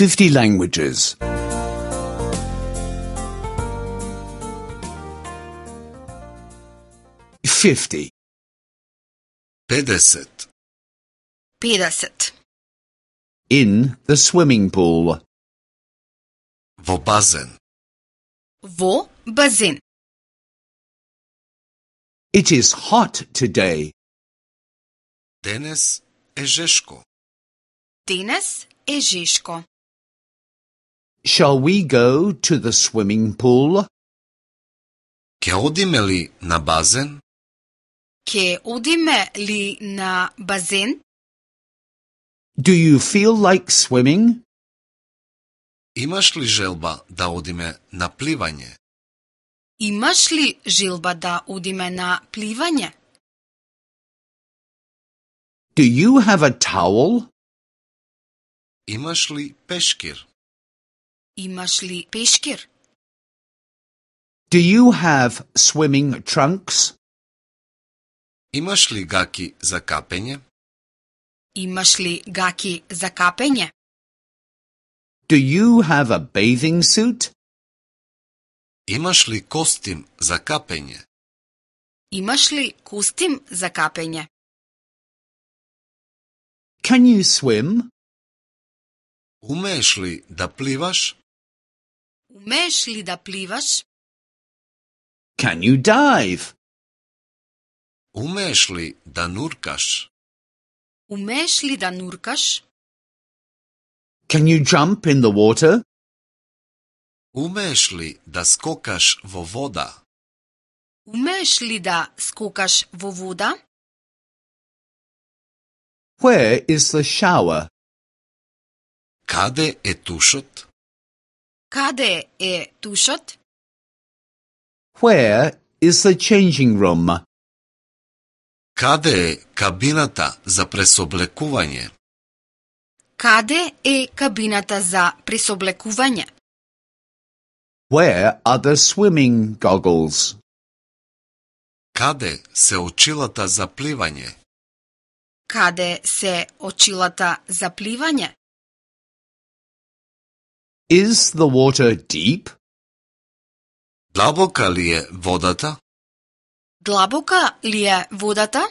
50 languages. 50. 50. 50. In the swimming pool. Во базен. Во базен. It is hot today. Денес е жешко. Денес е жешко. Shall we go to the swimming pool? Ке одиме ли на базен? Ке одиме ли на базен? Do you feel like swimming? Имаш ли желба да одиме на пливање? Имаш ли желба да одиме на пливање? Do you have a towel? Имаш ли пешкир? Имаш ли пешкир? Do you have swimming trunks? Имаш ли гаки за капење? Имаш ли гаки за капење? Do you have a bathing suit? Имаш ли костим за капење? Имаш ли костим за капење? Can you swim? Умееш ли да пливаш? Умееш ли да пливаш? Can you dive? Умееш ли да нуркаш? Умееш ли да нуркаш? Can you jump in the water? Умееш ли да скокаш во вода? Умееш ли да скокаш во вода? Where is the shower? Каде е тушот? Каде е тушот? Where is the changing room? Каде е кабината за пресоблекување? Каде е кабината за пресоблекување? Where are the swimming goggles? Каде се очилата за пливање? Каде се очилата за пливање? Is the water deep? Длабока ли е водата? Длабока ли е водата?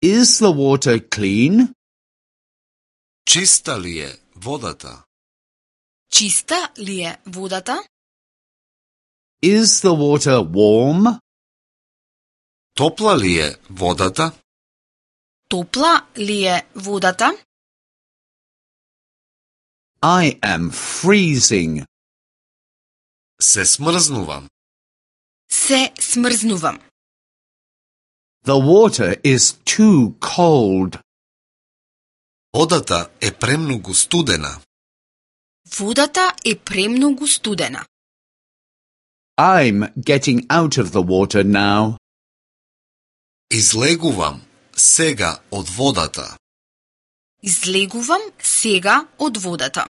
Is the water clean? Чиста ли е водата? Чиста ли е водата? Is the water warm? Топла ли е водата? Топла ли е водата? I am freezing. Се смрзнувам. Се смрзнувам. The water is too cold. Водата е премногу студена. Водата е премногу студена. I'm getting out of the water now. Излегувам сега од водата. Излегувам сега од водата.